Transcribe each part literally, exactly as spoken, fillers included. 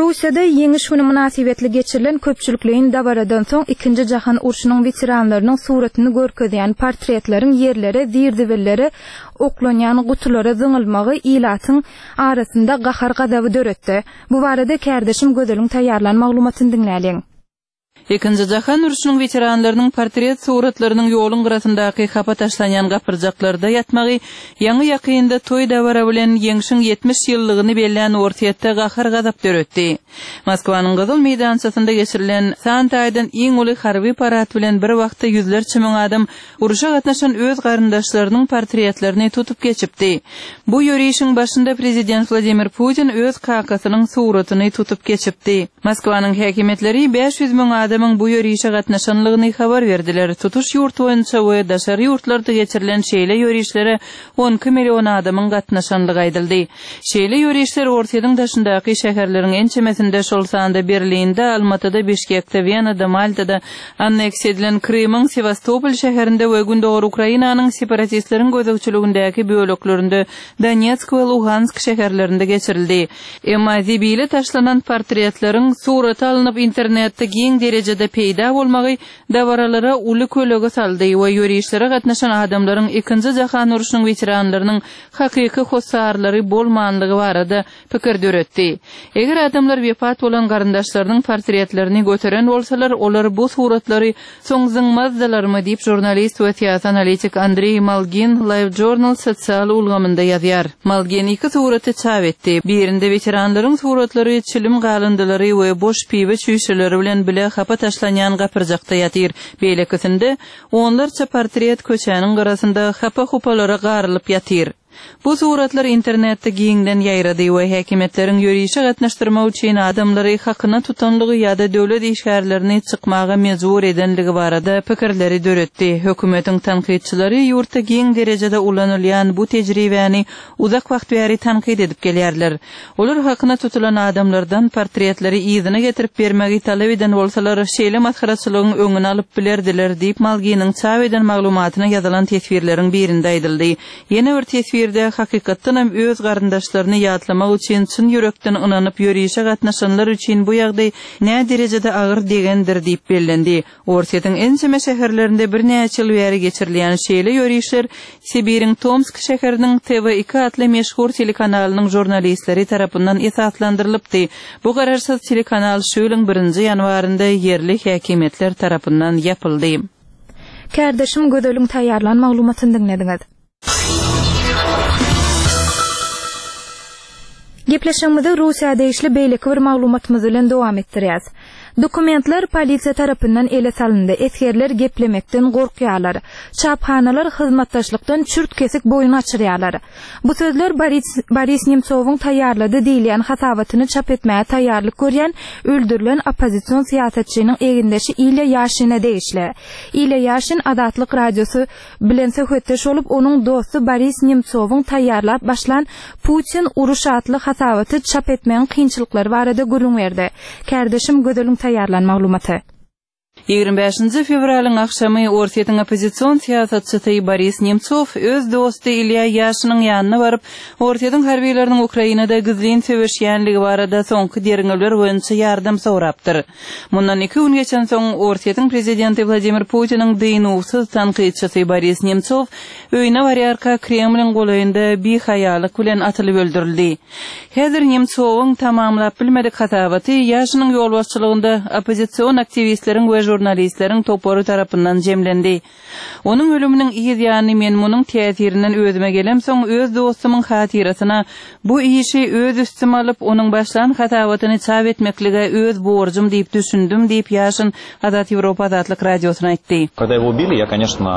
Russiýada Ýeňiş güni mynasybetli geçirilen köpçülikleýin dabaradan soň Ikinji jahan urşunyň weteranlarynyň suratyny görkezýän portretleriň ýerlere, zir-zibillere oklanýan gutulara zyňylmagy ilatyň arasynda gahar-gazaby döretdi. Bu barada kärdeşim Gözeliň taýýarlan maglumatyny diňläliň. Ikinji jahan urşunyň weteranlarynyň portret suratlarynyň ýoluň gyrasyndaky hapa taşlanýan gapyrjaklarda ýatmagy ýaňy-ýakynda toý-dabara bilen Ýeňşiň ýetmiş ýyllygyny bellän Orsýetde gahar-gazap döretdi. Moskwanyň Gyzyl meýdançasynda geçirilen san taýdan iň uly harby parad bilen bir wagtda ýüzlerçe müň adam urşa gatnaşan öz garyndaşlarynyň portretlerini tutup geçipdi. Bu ýörişiň başynda prezident Wladimir Putin öz kakasynyň suratyny tutup geçipdi. Moskwanyň häkimiýetleri bäş ýüz müň adamyň bu ýörişe gatnaşanlygyny habar berdiler. Tutuş ýurt boýunça we daşary ýurtlarda geçirilen şeýle ýörişlere on iki million adamyň gatnaşanlygy aýdyldy. Şeýle ýörişler Orsýetiň daşyndaky şäherleriň ençemesinde, şol sanda Berlinde, Almatyda, Bişkekde, Wenada, Maltada, anneksiýa edilen Krymyň Sewastopol şäherinde we Gündogar Ukrainanyň separatistleriň gözegçiligindäki böleklerinde, Donetsk we Luhansk şäherlerinde geçirildi. Emma zibile taşlanan portretleriň surata alnyp internetde giň derejede peýda bolmagy dabaralara uly kölege saldy we ýörişlere gatnaşan adamlaryň Ikinji jahan urşunyň weteranlarynyň hakyky hossarlary bolmanlygy barada pikir döretdi. Eger adamlar wepat bolan garyndaşlarynyň portretlerini göteren bolsalar, olar bu suratlary soň zyňmazdylarmy diýip žurnalist we syýasy analitik Andreý Malgin LiveJournal sosial ulgamynda ýazýar. Malgin iki suraty çap etdi. Birinde weteranlaryň suratlary çilim galyndylary we boş piwe çüýşeleri bilen bile hapa taşlanýan gapyrjakda ýatyr. Beýlekisinde onlarça portret köçäniň gyrasynda hapa-hupalara garylyp ýatyr. Bu suratlar internetde giňden ýaýrady we häkimiýetleriň ýörişe gatnaşdyrmak üçin adamlary hakyna tutanlygy ýa-da döwlet işgärlerini çykmaga mejbur edenligi barada pikirleri döretdi. Hökümetiň tankytçylary ýurtda giň derejede ulanylýan bu tejribäni uzak wagt bäri tankyt edip gelýärler. Olar hakyna tutulan adamlardan portretleri yzyna getirip bermegi talap eden bolsalar, şeýle masgaraçylygyň öňüni alyp bilerdiler diýip Malginiň çap eden maglumatyna ýazylan teswirleriň birinde aýdyldy. Ýene bir teswirde hakykatdanam öz garyndaşlaryny ýatlamak üçin çyn ýürekden ynanyp ýörişe gatnaşanlar üçin bu ýagdaý nä derejede agyr degendir diýip bellendi. Orsýetiň ençeme şäherlerinde birnäçe ýyl bäri geçirilýän şeýle ýörişler Sibiriň Tomsk şäheriniň T V iki atly meşhur telekanalynyň žurnalistleri tarapyndan esaslandyrylypdy. Bu garaşsyz telekanal şu ýylyň birinji ýanwarynda ýerli häkimiýetler tarapyndan ýapyldy. Kärdeşim Gözeliň taýýarlan maglumatyny diňlediňiz. Gepleşigimizi Russiýa degişli beýleki bir maglumatymyz bilen dowam etdirýäs. Dokumentler polisiýa tarapyndan ele salyndy. Esgerler geplemekden gorkýarlar. Çaphanalar hyzmatdaşlykdan çürt kesik boýun açyrýarlar. Bu sözler Boris, Boris Nemtsowyň taýýarlady diýilýän hasabatyny çap etmäge taýýarlyk görýän öldürilen oppozision syýasatçynyň egindeşi Ilýa Ýaşine degişli. Ilýa Ýaşin Azatlyk Radiosy bilen söhbetdeş bolup, onuň dosty Boris Nemtsowyň taýýarlap başlan Putin uruş atly hasabaty çap etmegiň kynçylyklary barada gürrüň berdi. Kärdeşim Gözeliň taýýarlan maglumaty. Ýigrimi bäşinji fewralyň agşamy Orsýetiň oppozision syýasatçysy Boris Nemtsow öz dosty Ilýa Ýaşiniň ýanyna baryp, Orsýetiň harbiýlarynyň Ukrainada gizlin söweşýänligi barada soňky derňewler boýunça ýardam sorapdyr. Mundan iki gün geçensoň Orsýetiň prezidenti Wladimir Putiniň dynuwsyz tankytçysy Boris Nemtsow öýüne barýarka Kremliň golaýynda bihaýalyk bilen atylyp öldürildi. Häzir Nemtsowyň tamamlap bilmedik hasabaty Ýaşiniň ýolbaşçylygynda oppozision aktiwistleriň we žurnalistleriň topary tarapyndan jemlendi. Onuň ölüminiň yz ýany men munuň täsirinden özüme gelemsoň öz dostumyň hatyrasyna bu işi öz üstüme alyp, onuň başlan hasabatyny çap etmeklige öz borjum diýip düşündim diýip Ýaşin Azat Ýewropa Azatlyk Radiosyna aýtdy. Когда его убили, я, конечно,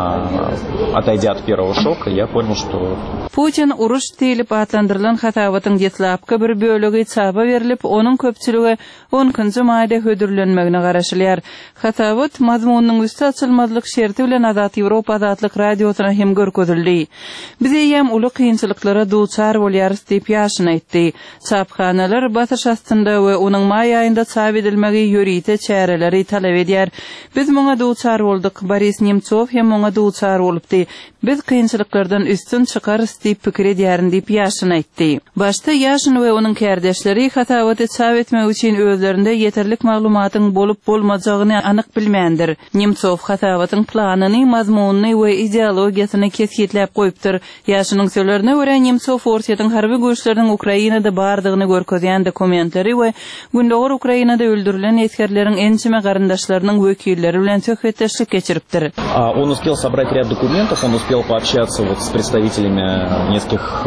отойдя от первого шока, я понял, что Putin uruş diýlip atlandyrylan hasabatyň deslapky bir bölegi çapa berilip, onuň köpçüligi on ikinji maýda hödürlenmegine garaşylýar. Hasabat mazmunynyň üsti açylmazlyk şerti bilen Azat Ýewropa Azatlyk Radiosyna hem görkezildi. Biz eýýäm uly kynçylyklara duçar bolýarys diýip Ýaşin aýtdy. Çaphanalar basyş astynda we onuň maý aýynda çap edilmegi ýörite çäreleri talap edýär. Biz muňa duçar bolduk. Boris Nemtsov hem muňa duçar bolupdy. Biz kynçylyklardan üstün çykarys diýip pikir edýärin diýip Ýaşin aýtdy. Başda Ýaşin we onuň kärdeşleri hasabaty çap etmek üçin özlerinde ýeterlik maglumatyň bolup bolmajagyny anyk bilmändir. Nemtsow hasabatyň planyny, mazmunyny we ideologiýasyny kesgitläp goýupdyr. Ýaşiniň sözlerine görä Nemtsow Orsýetiň harby güýçleriniň Ukrainada bardygyny görkezýän dokumentleri we Gündogar Ukrainada öldürilen esgerleriň ençeme garyndaşlarynyň wekilleri bilen söhbetdeşlik geçiripdir. Он успел собрать ряд документов, он успел пообщаться вот с представителями нескольких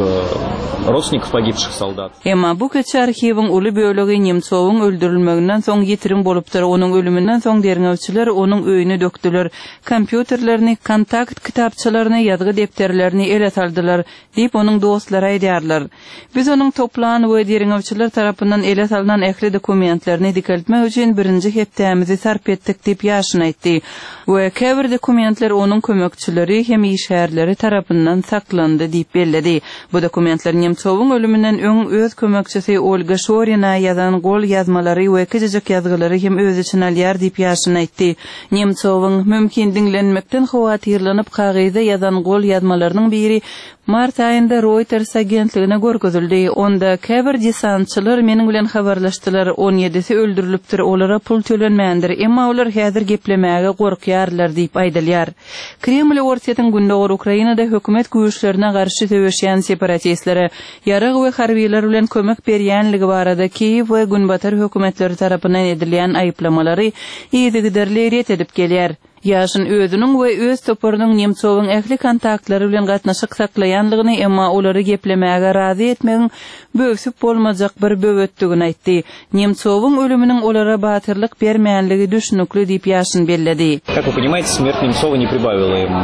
родственников погибших солдат. Emma bu kiçi arhiwiň uly bölegi Nemtsowyň öldürilmeginden soň ýitirim bolupdyr. Onuň ölüminden soň derňewçiler onuň öýüni dökdüler. Kompýuterlerini, kontakt kitapçalaryny, ýazgy depderlerini ele saldylar diýip onuň dostlary aýdýarlar. Biz onuň toplan we derňewçiler tarapyndan ele salynan ähli dokumentlerini dikeltmek üçin birinji hepdämizi sarp etdik diýip Ýaşin aýtdy. We käbir dokumentler onuň kömekçileri hem işgärleri tarapyndan saklandy diýip belledi. Bu dokumentler Nemtsowyň ölüminden öň öz kömekçisi Olga Şorina ýazan gol ýazmalary we kiçijik ýazgylary hem öz içine alýar diýip Ýaşin aýtdy. Nemtsowyň mümkin diňlenmekden howatyrlanyp kagyzda ýazan gol ýazmalarynyň biri mart aýynda Reuters agentligine görkezildi. Onda käbir desantçylar meniň bilen habarlaşdylar. on ýedisi öldürilipdir, olara pul tölenmändir. Emma olar häzir geplemäge gorkýarlar diýip aýdylýar. Kreml Orsýetiň Gündogar Ukrainada hökümet güýçlerine garşy söweşýän separatistlere ýarag we harbiler bilen kömek berýänligi barada Kiýew we Günbatar hökümetleri tarapyndan edilýän aýyplamalary yzygiderli ret edip gelýär. Ýaşin özüniň we öz toparynyň Nemtsowyň ähli kontaktlary bilen gatnaşyk saklaýanlygyny, emma olary geplemäge razy etmegiň böwsüp bolmajak bir böwetdigini aýtdy. Nemtsowyň ölüminiň olara batyrlyk bermänligi düşünükli diýip Ýaşin belledi. Как вы понимаете, смерть Немцова не прибавила им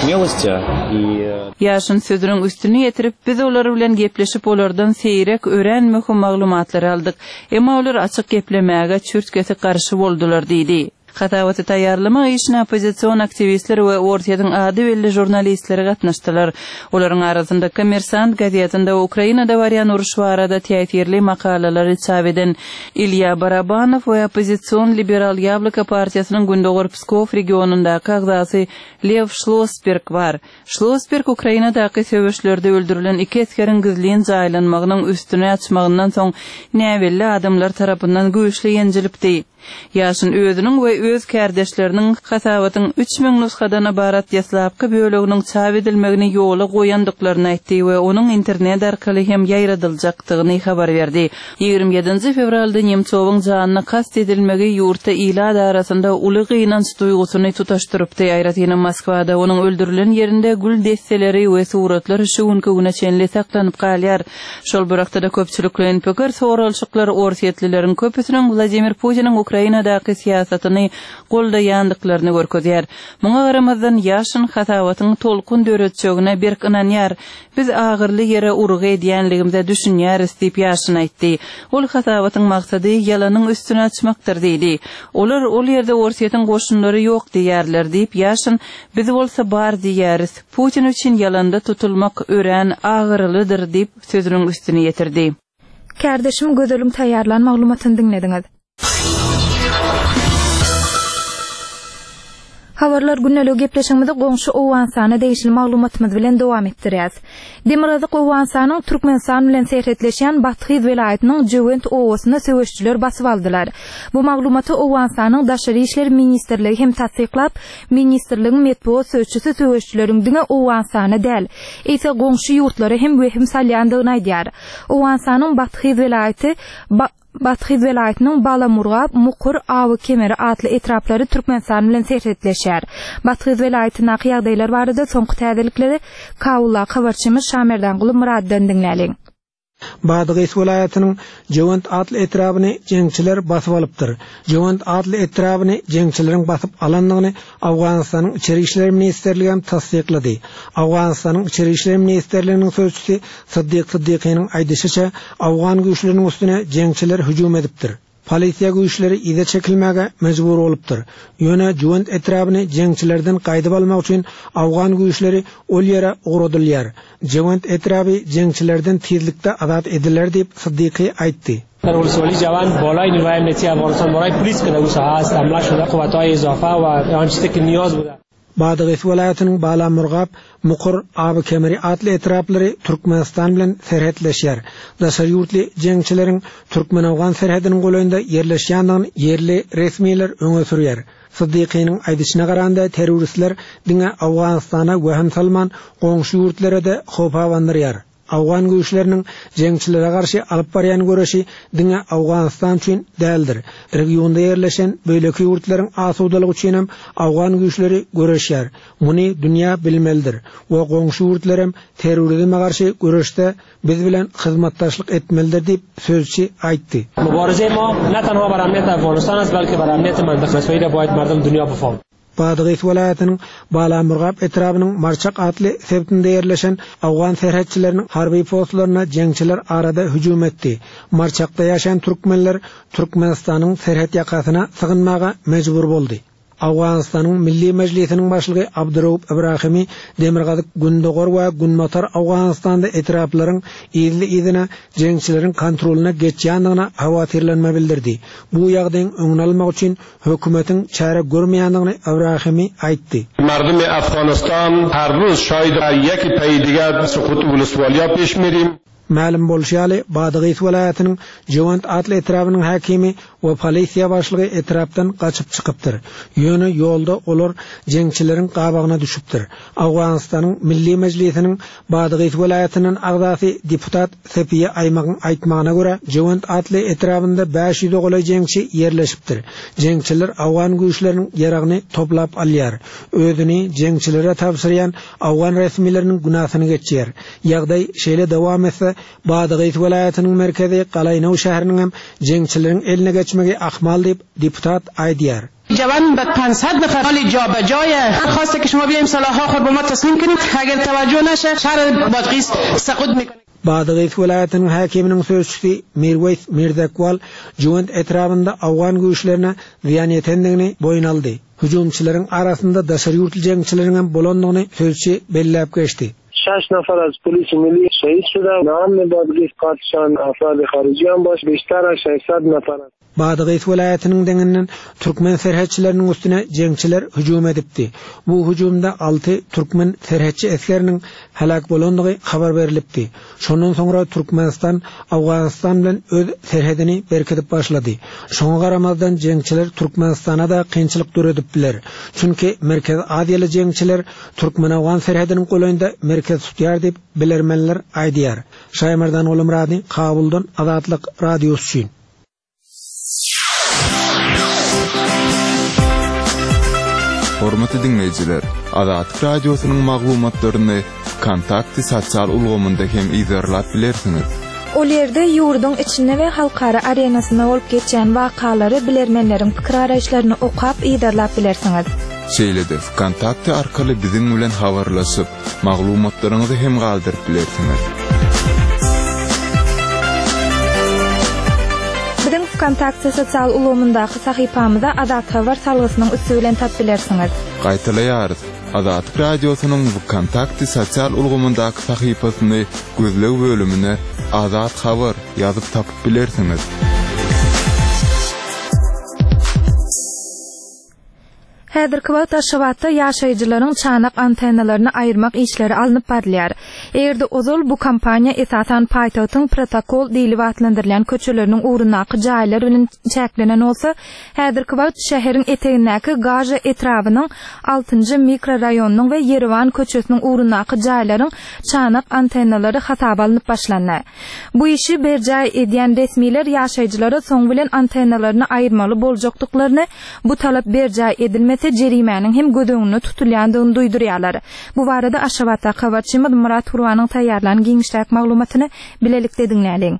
смелости и Ýaşin sözüniň üstüni ýetirip, biz olar bilen gepleşip olardan seýrek ören möhüm maglumatlary aldyk. Emma olar açyk geplemäge çürtkesi garşy boldular diýdi. Hasabaty taýýarlama işine oppozision aktiwistler we Orsýetiň ady belli žurnalistleri gatnaşdylar. Olaryň arasynda Kommersant gazetinde Ukrainada barýan uruş barada täsirli makalalary çap eden Ilýa Barabanow we oppozision Liberal Ýabloko partiýasynyň Gündogar Pskov regionyndaky agzasy Lew Şlosberg bar. Şlosberg Ukrainadaky söweşlerde öldürilen iki esgeriň gizlin jaýlanmagynyň üstüne açmagyndan soň näbelli adamlar tarapyndan güýçli ýenjilipdi. Ýaşin özüniň we öz kärdeşleriniň hasabatyň üç müň nusgadan ybarat ýaslapky böleginiň çap edilmegini ýola goýandyklaryny aýtdy we onuň internet arkaly hem ýaýradyljakdygyny habar berdi. Ýigrimi ýedinji fewralda Nemtsowyň janyna kast edilmegi ýurtda ilat arasynda uly gynanç duýgusyny tutaşdyrypdy. Aýratynam Moskwada onuň öldürilen ýerinde gül desseleri we suratlar şu günki güne çenli saklanyp galýar. Şol bir wagtda köpçülikleýin pikir soralşyklar Orsýetlileriň köpüsiniň Wladimir Putiniň Ukrainadaky syýasatyny goldaýandyklaryny görkezýär. Muňa garamazdan Ýaşin hasabatyň tolkun döretjegine berk ynanýar. Biz agyrly ýere urgy edýänligimize düşünýäris diýip Ýaşin aýtdy. Ol hasabatyň maksady ýalanyň üstüne açmakdyr diýdi. Olar ol ýerde Orsýetiň goşunlary ýok diýerler diýip Ýaşin, biz bolsa bar diýäris. Putin üçin ýalanda tutulmak örän agyrlydyr diýip sözüniň üstüne ýetirdi. Kärdeşim Gözeliň taýýarlan maglumatyny diňlediňiz. Habarlar günlük gepleşigimizi goňşy Owganystana degişli maglumatymyz bilen dowam etdirýäs. Demirgazyk Owganystanyň Türkmenistan bilen serhetleşýän Bathyz welaýatynyň Jöwent owasyny söweşçiler basyp aldylar. Bu maglumaty Owganystanyň Daşary işler ministrligi hem tassyklap, ministrligiň metbugat sözçüsi söweşçileriň diňe Owganystana däl, eýse goňşy ýurtlara hem wehim salýandygyny aýdýar. Owganystanyň Bathyz welaýaty Bathyz welaýatynyň Balamurgap, Mukur, Awy Kemeri atly etraplary Türkmenistan bilen serhetleşýär. Bathyz welaýatyndaky ýagdaýlar barada soňky täzelikleri Kawula habarçymyz Şamerdanguly Muraddan diňläliň. Badygys welaýatynyň Jöwent atly etrabyny jeňçiler basyp alypdyr. Jöwent atly etrabyny jeňçileriň basyp alandygyny Owganystanyň Içeri işler ministrligi hem tassyklady. Owganystanyň Içeri işler ministrliginiň sözçüsi Siddiq Siddiqiniň aýdyşyça, Owgan güýçleriniň üstüne jeňçiler hüjüm edipdir. Polisiýa güýçleri yza çekilmäge mejbur bolupdyr. Ýöne Jöwent etrabyny jeňçilerden gaýdyp almak üçin Owgan güýçleri ol ýere ugradylýar. Jöwent etraby jeňçilerden tizlikde azat ediler diýip Siddiqi aýtdy. در ولسوالی جوان بالای نیروهای امنیتی افغانستان بالای پلیس که در او ساحه است حمله شده، قوت‌های اضافه و آن چیزی که نیاز بوده. Badagys welaýatynyň Balamurgap, Mukur, Aby Kemeri atly etraplary Türkmenistan bilen serhetleşýär. Daşary ýurtly jeňçileriň Türkmen-Awgan serhediniň golaýynda ýerleşýändigini ýerli resmiler öňe sürýär. Siddiqiniň aýdyşyna garanda terroristler diňe Awganystana wehim salman goňşy ýurtlara-da howp abandyrýar. Awgan güýçleriniň jeňçilere garşy alyp barýan göreşi diňe Awganystan üçin däldir. Regionda ýerleşen beýleki ýurtlaryň asudalygy üçin hem Awgan güýçleri göreşýär. Muny dünýä bilmelidir we goňşy ýurtlar hem terrorizme garşy göreşde biz bilen hyzmatdaşlyk etmelidir diýip sözçi aýtdy. مبارزه ما نه تنها بر امنیت افغانستان است بلکه بر امنیت منطقه اسرائیل باید مردم دنیا بفهم. Badagys welaýatynyň Balamurgap etrabynyň Marçak atly sebitinde ýerleşen Awgan serhetçileriniň harby postlaryna jeňçiler arada hüjüm etdi. Marçakda ýaşaýan türkmenler Türkmenistanyň serhet ýakasyna sygynmaga mejbur boldy. Awganystanyň Milli Mejlisiniň başlygy Abdurrauf Ibrahimi Demirgazyk Gündogar we Günbatar Awganystanda etraplaryň yzly-yzyna jeňçileriň kontrolyna geçýändigine howatyrlanma bildirdi. Bu ýagdaýyň öňüni almak üçin hökümetiň çäre görmeýändigini Ibrahimi aýtdy. مردم افغانستان هر روز شاید یکی پی دیگر سقوط ولسوالیا پیش میریم. Mälim bolşy ýaly Badagys welaýatynyň Jewant atly etrabynyň häkimi we polisiýa başlygy etrapdan gaçyp çykypdyr. Ýöne ýolda olar jeňçileriň gabagyna düşüpdir. Awganystanyň Milli Mejlisiniň Badagys welaýatynyň agzasy deputat Sepiýe Aýmagyň aýtmagyna görä Jewant atly etrabynda bäş ýüz golaý jeňçi ýerleşipdir. Jeňçiler Awgan güýçleriniň ýaragyny toplap alýar. Özüni jeňçilere tabşyrýan Awgan resmileriniň günasyny geçýär. Ýagdaý şeýle dowam etse Badagys welaýatynyň merkezi Galaýnaw şäheriniň hem jeňçileriň eline geçmegi ahmal diýip deputat aýdýar. جوان به پانصد نفر حال جابجای خواسته که شما بیایم سلاح‌ها خود به ما تسلیم کنید اگر توجه نشه شهر بادغیس سقوط میکنه. Badagys welaýatynyň häkiminiň sözçüsi Mirweys Mirzakwal Jewant etrabynda Awgan güýçlerine zyýan ýetendigini boýun aldy. Hüjümçileriň arasynda daşary ýurtly jeňçileriň hem bolandygyny sözçi belläp geçdi. شش نفر از پلیس ملی شهید شده. نام بادغیس قاتلشان افراد خارجی هم باش بیشتر از ششصد نفر است. Badagys welaýatynyň deňinden türkmen serhetçileriniň üstüne jeňçiler hüjüm edipdi. Bu hüjümde alty türkmen serhetçi esgeriniň helak bolandygy habar berilipdi. Şondan soňra Türkmenistan Awganistan bilen öz serhedini berkidip başlady. Şoňa garamazdan jeňçiler Türkmenistana da kynçylyk döredipdiler. Çünki Merkez Aziýaly jeňçiler Türkmen-Awgan serhediniň golaýynda merkez tutýar diýip bilermenler aýdýar. Şaýmerdan Gulumrady, Kabuldan Azatlyk Radiosy üçin. Hormatly dinleýjiler, Azatlyk Radiosynyň maglumatlaryny Kontakty sosial ulgamynda hem izerlap bilersiňiz. Ol ýerde ýurduň içinde we halkara arenasynda bolup geçýän wakalary bilermenleriň pikir araýyşlaryny okap izerlap bilersiňiz. Şeýle-de Kontakty arkaly biziň bilen habarlaşyp, maglumatlaryňyzy hem galdyryp bilersiňiz. Biziň Kontakty sosial ulgamyndaky sahypamyza Azat Habar salgysynyň üsti bilen tap bilersiňiz. Gaýtalaýarys. Azatlyk Radiosynyň Kontakty sosial ulgamyndaky sahypasyny gözleg bölümine Azat Habar ýazyp tapyp bilersiňiz. Häzirki wagt Aşgabatda ýaşaýjylaryň çanak antennalaryny aýyrmak işleri alnyp barylýar. Eger-de ozal bu kampaniýa esasan paýtagtyň protokol diýlip atlandyrylýan köçeleriniň ugrundaky jaýlar bilen çäklenen bolsa, häzirki wagt şäheriň etegindäki Gaja etrabynyň altynjy mikroraýonynyň we Ýerewan köçesiniň ugrundaky jaýlaryň çanak antennalary hasaba alnyp başlandy. Bu işi berjaý edýän resmiler ýaşaýjylara soň bilen antennalaryny aýyrmaly boljakdyklaryny, bu talap berjaý edilmese jerimäniň hem göz öňünde tutulýandygyny duýdurýarlar. Bu barada Aşgabatda habarçymyz Murat Gurbanyň taýýarlan giňişräk maglumatyny bilelikde diňläliň.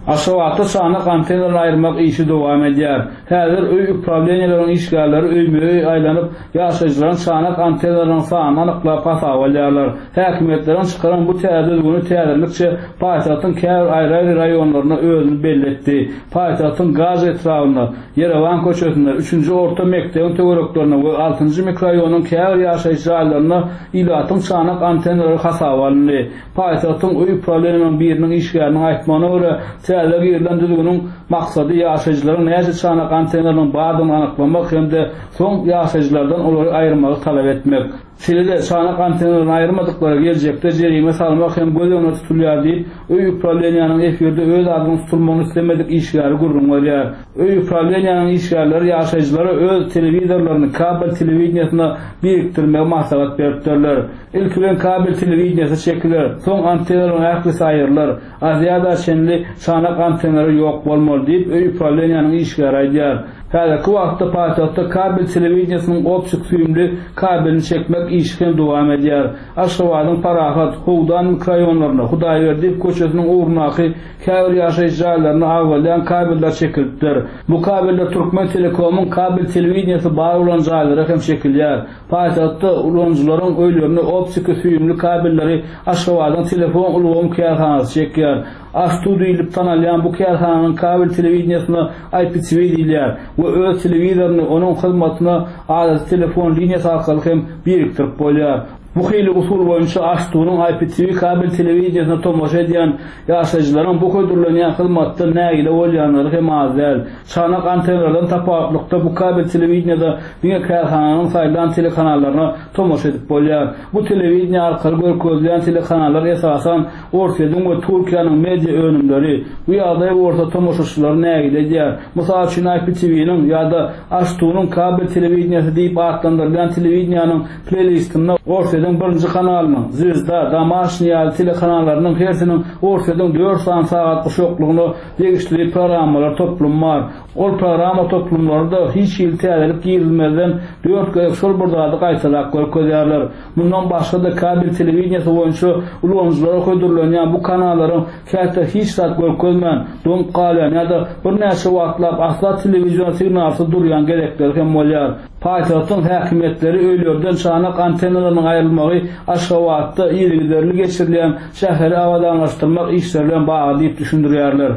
Aşgabatda çanak antennalaryny aýyrmak işi dowam edýär. Häzir öý upravleniýalarының işgärleri öýme-öý aýlanyp, ýaşaýjylaryň çanak antennalarynyň sanyny anyklap hasaba alýarlar. Häkimiýetleriň çykaran bu täze düzgüni täzelikçe paýtagtyň käbir aýry-aýry raýonlaryna özüni belli etdi. Paýtagtyň Gaza etrabynda, Ýerewan köçesinde, üçünji orta mekdebiň töwereklerinde we altynjy mikroraýonyň käbir ýaşaýjy jaýlarynda ilatyň çanak antennalary hasaba alyndy. Paýtagtyň öý upravleniýasynyň biriniň işgäriniň aýtmagyna görä, täze girilen düzgüniň maksady ýaşaýjylaryň näçe çanak antennalarynyň bardygyny anyklamak hem-de soň ýaşaýjylardan olary aýyrmagy talap etmek. Şeýle-de çanak antennalaryny aýyrmadyklara geljekde jerime salmak hem göz öňünde tutulýar diýip, öý uprawleniýanyň efirde öz adynyň tutulmagyny islemedik işgäri gürrüň berýär. Öý uprawleniýanyň işgärleri ýaşaýjylara öz telewizorlaryny kabel telewideniýesine birikdirmegi maslahat beripdirler. Ilki bilen kabel telewideniýesi çekiler, soň antennalaryň ählisi aýrylar. Aziýada çenli çanak antennalary ýok bolmaly diýip, öý uprawleniýanyň işgäri aýdýar. Häzirki wagtda paýtagtda kabel telewideniýesiniň optik süýümli kabelini çekmek işi hem dowam edýär. Aşgabadyň Parahat, Howdan mikroraýonlarynda, Hudaýberdiýew köçesiniň ugrundaky käbir ýaşaýyş jaýlaryna agzalýan kabeller çekilipdir. Bu kabeller Türkmen Telekomyň kabel telewideniýesi bar bolan jaýlara hem çekilýär. Paýtagtda ulanyjylaryň öýlerine optiki süýümli kabelleri Aşgabadyň telefon ulgamy kärhanasy çekýär. Astu diýlip tanalýan bu kärhananyň kabel telewideniýesine I P T V diýilýär we öz telewizoryny onuň hyzmatyna adaty telefon liniýasy arkaly hem birikdirip bolýar. Bu hili usul boýunça Astunyň I P T V kabel telewideniýesine tomaşa edýän ýaşaýjylaryň bu hödürlenýän hyzmatdan nägile bolýanlary hem az däl. Çanak antennalardan tapawutlykda bu kabel telewideniýede diňe kärhananyň saýlan telekanallaryna tomaşa edip bolýar. Bu telewideniýe arkaly görkezilýän telekanallar esasan Orsýetiň we Türkiýäniň media önümleri. Bu ýagdaý bolsa tomaşaçylary nägile edýär. Mysal üçin I P T V-niň ýa-da Astunyň kabel telewideniýesi diýip atlandyrylýan telewideniýanyň playlistinde Orsýetiň birinji kanalynyň, Zvezda, Domaşny ýaly telekanallarynyň hersiniň Orsýetiň dört sany sagat guşaklygyna degişli programmalar toplumy bar. Ol programma toplumlary da hiç hili täzelik girizmezden dört gezek şol bir zady gaýtalap görkezýärler. Mundan başga da kabel telewideniýesi boýunça ulanyjylara hödürlenýän bu kanallaryň käte hiç zat görkezmän, doňup galýan ýa-da birnäçe wagtlap asla telewizion signalsyz durýan gezekleri hem bolýar. Paýtagtyň häkimiýetleri öýlerden çanak antennalarynyň aýrylmagy Aşgabatda yzygiderli geçirilýän şäheri abadanlaşdyrmak işleri bilen bagly diýip düşündirýärler.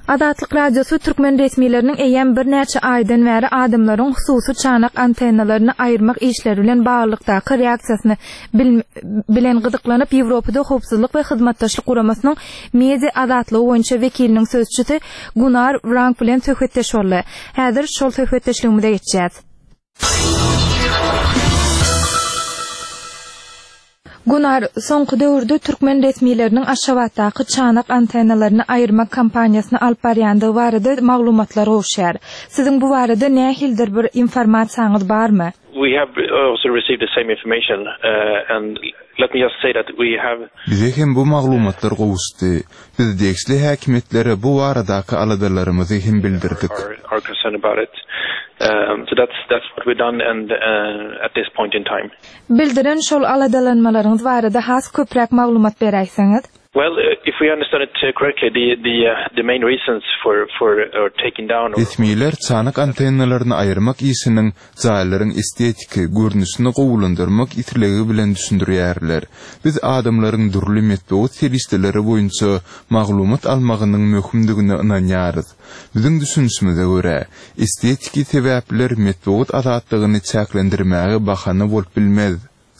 Azatlyk Radiosy türkmen resmileriniň eýýäm birnäçe aýdan bäri adamlaryň hususy çanak antennalaryny aýyrmak işleri bilen baglylykdaky reaksiýasyny bilen gyzyklanyp Ýewropada howpsuzlyk we hyzmatdaşlyk guramasynyň media azatlygy boýunça wekiliniň sözçüsi Gunnar Wrank bilen söhbetdeş boldy. Häzir şol söhbetdeşligimize geçýäs. Gunnar, soňky döwürde türkmen resmileriniň Aşgabatdaky çanak antennalaryny aýyrmak kampaniýasyny alyp barýandygy barada maglumatlar gowşýar. Siziň bu barada nähilidir bir informasiýaňyz barmy? We have also received the same information, uh, and let me just say that we have Bize hem bu maglumatlar gowuşdy. Biz degişli häkimiýetlere bu baradaky aladalarymyzy hem bildirdik. Our, our concern about it. Um, so that's, that's what we've done and, uh, at this point in time. Bildiren şol aladalanmalaryňyz barada has köpräk maglumat beräýseňiz? Well, uh, if we understand it, uh, correctly, the, the, uh, the main reasons for, for, uh, taking down or Resmiler çanak antennalaryny aýyrmak işiniň jaýlaryň estetiki görnüşini gowulandyrmak islegi bilen düşündirýärler. Biz adamlaryň dürli metbugat serişdeleri boýunça maglumat almagynyň möhümdigine ynanýarys. Biziň düşünişimize görä, estetiki sebäpler metbugat azatlygyny çäklendirmäge bahana bolup bilmez.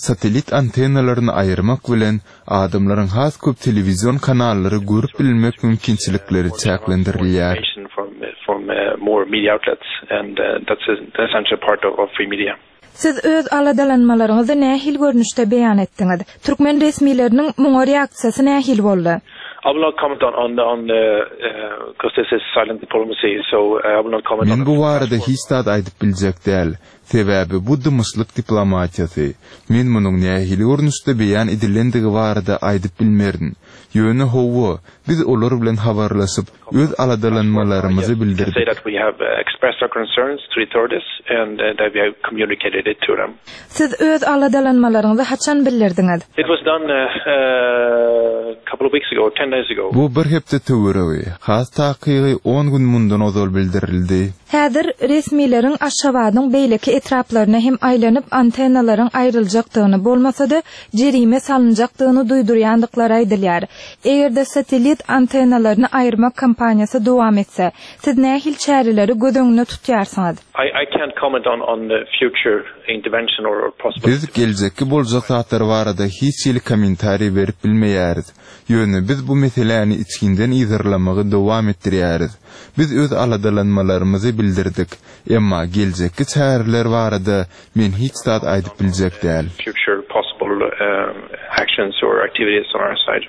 Satelit antennalaryny aýyrmak bilen adamlaryň has köp telewizion kanallary görüp bilmek mümkinçilikleri çäklendirilýär. From, from, uh, more media outlets and, uh, that's an essential part of, of free media. Siz öz aladalanmalaryňyzy nähili görnüşde beýan etdiňiz? Türkmen resmileriniň muňa reaksiýasy nähili boldy? I will not comment on, on, on the, uh, because this is silent diplomacy, so I will not comment Men on bu barada hiç zat aýdyp biljek däl. Sebäbi bu dymyşlyk diplomatiýasy. Men munuň nähili görnüşde beýan edilendigi barada aýdyp bilmerin. Ýöne hawa, biz olar bilen habarlaşyp, öz aladalanmalarymyzy bildirdik. Say that we have, uh, expressed our concerns to the authorities and, uh, that we have communicated it to them. Siz öz aladalanmalaryňyzy haçan bildirdiňiz? It was done, uh, uh, a couple of weeks ago, ten days ago. Bu bir hepde töweregi, has takygy on gün mundan ozal bildirildi. Häzir resmileriň Aşgabadyň beýleki etraplaryna hem aýlanyp antennalaryň aýryljakdygyny, bolmasa-da jerime salynjakdygyny duýdurýandyklary aýdylýar. Eger-de satellit antennalaryny aýyrmak kampaniýasy dowam etse, siz nähili çäreleri göz öňünde tutýarsyňyz? I, I can't comment on, on the future intervention or, or possible Biz geljekki boljak zatlar barada hiç hili kommentariý berip bilmeýäris. Ýöne biz bu meseläni içginden yzarlamagy dowam etdirýäris. Biz öz aladalanmalarymyzy bildirdik. Emma geljekki çäreler barada men hiç zat aýdyp biljek däl. future possible um, actions or activities on our side.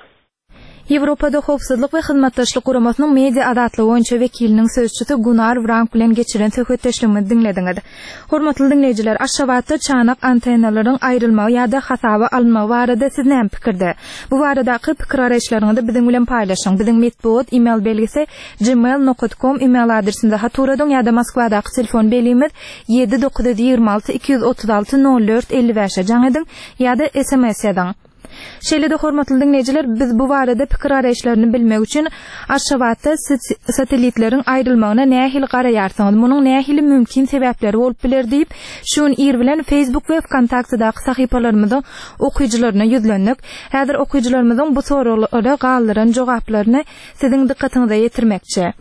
Ýewropada Howpsuzlyk we Hyzmatdaşlyk Guramasynyň media azatlygy boýunça wekiliniň sözçüsi Gunnar Wrank bilen geçiren söhbetdeşligimizi diňlediňiz. Hormatly diňleýjiler, Aşgabatda çanak antennalaryň aýrylmagy ýa-da hasaba alynmagy barada siz näme pikirde? Bu baradaky pikir garaýyşlaryňyzy biziň bilen paýlaşyň. Biziň metbugat e-mail belgisi gmail nokta com e-mail adresinde hat ugradyň ýa-da Moskwadaky telefon belgimiz ýedi dokuz ýüz ýigrimi alty iki ýüz otuz alty nol dört elli bäşe jaň ediň ýa-da S M S ýazyň. Şeýle-de hormatly diňleýjiler, biz bu barada pikir garaýyşlaryny bilmek üçin Aşgabatda satellitleriň aýrylmagyna nähili garaýarsyňyz, munuň nähili mümkin sebäpleri bolup biler diýip, şu gün ir bilen Facebook we VKontaktedaky sahypalarymyzyň okyjylaryna ýüzlendik. Häzir okyjylarymyzyň bu soraglara galdyran jogaplaryny siziň dykgatyňyza ýetirmekçi.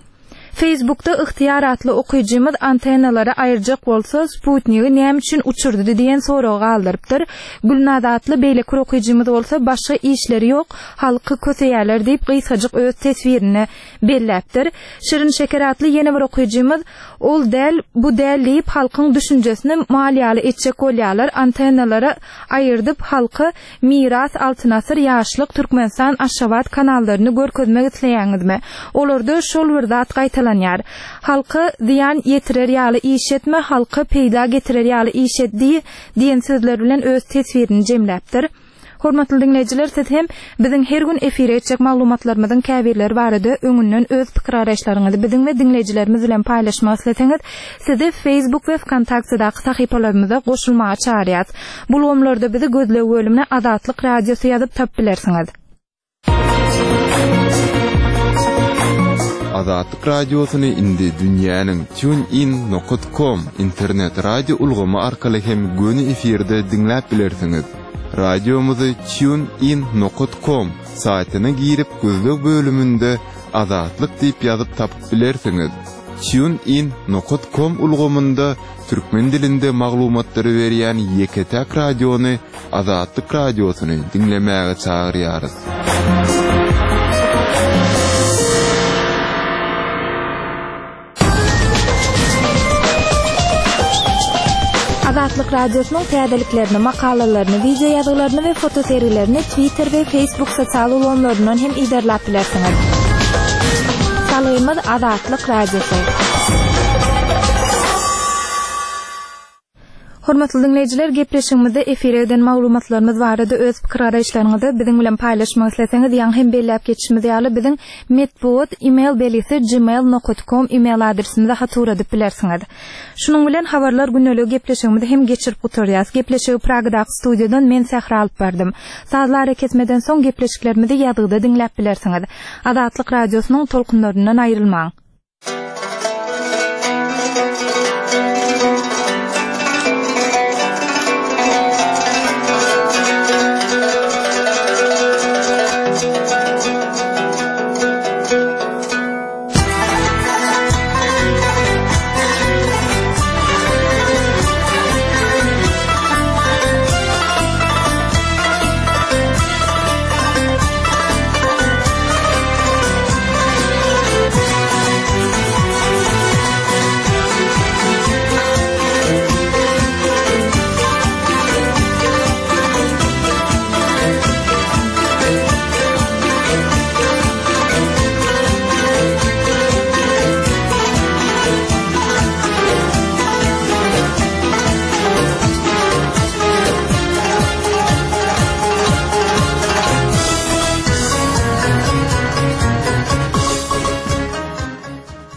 Facebookda Ihtiýar atly okyjymyz antennalary aýyrjak bolsa Sputnigi näme üçin uçurdy diýen soragy galdyrypdyr. Gülnaz atly beýleki okyjymyz bolsa başga işleri ýok, halky köseýärler diýip gysgajyk öz teswirini belläpdir. Şirin Şeker atly ýene bir okyjymyz ol däl, bu däl diýip halkyň düşünjesini mal ýaly etjek bolýarlar. Antennalara aýyrdyp halky Miras, Altyn Asyr, Ýaşlyk, Türkmenistan, Aşgabat kanallaryny görkezmek isleýäňizmi? Olarda şol bir zat gaýtalanýar. Halka zyýan ýetirer ýaly iş etme, halka peýda getirer ýaly iş et diýen sözler bilen öz teswirini jemläpdir. Hormatly diňleýjiler, siz hem biziň her gün efire etjek maglumatlarymyzyň käbirleri barada öňünden öz pikir garaýyşlaryňyzy biziň we diňleýjilerimiz bilen paýlaşmak isleseňiz, sizi Facebook we VKontaktedaky sahypalarymyza goşulmaga çagyrýarys. Bu ulgamlarda bizi gözleg bölümine Azatlyk Radiosy ýazyp tapyp bilersiňiz. Azatlyk Radiosyny indi dünýäniň TuneIn nokta com internet radio ulgamy arkaly hem göni efirde diňläp bilersiňiz. Radiomyzy TuneIn nokta com saýtyna girip gözleg bölüminde Azatlyk diýip ýazyp tapyp bilersiňiz. TuneIn nokta com ulgamynda türkmen dilinde maglumatlary berýän ýeke-täk radiony Azatlyk Radiosyny diňlemäge çagyrýarys. Azatlyk Radiosynyň täzeliklerini, makalalaryny, video ýazgylaryny we fotosergilerini Twitter we Facebook sosial ulgamlaryndan hem yzarlap bilersiňiz. Salgymyz Azatlyk Radiosy. Hormatly diňleýjiler, gepleşigimizde efire eden maglumatlarymyz barada öz pikir garaýyşlaryňyzy biziň bilen paýlaşmak isleseňiz, ýaňy hem belläp geçişimiz ýaly biziň metbugat e-mail belgisi gmail nokta com e-mail adresimize hat ugradyp bilersiňiz. Şunuň bilen habarlar gündelik gepleşigimizi hem geçirip gutarýarys. Gepleşigi Pragadaky studiýadan men Sähra alyp bardym. Sazlar kesmeden soň gepleşiklerimizi ýazgyda diňläp bilersiňiz. Azatlyk Radiosynyň tolkunlaryndan aýrylmaň.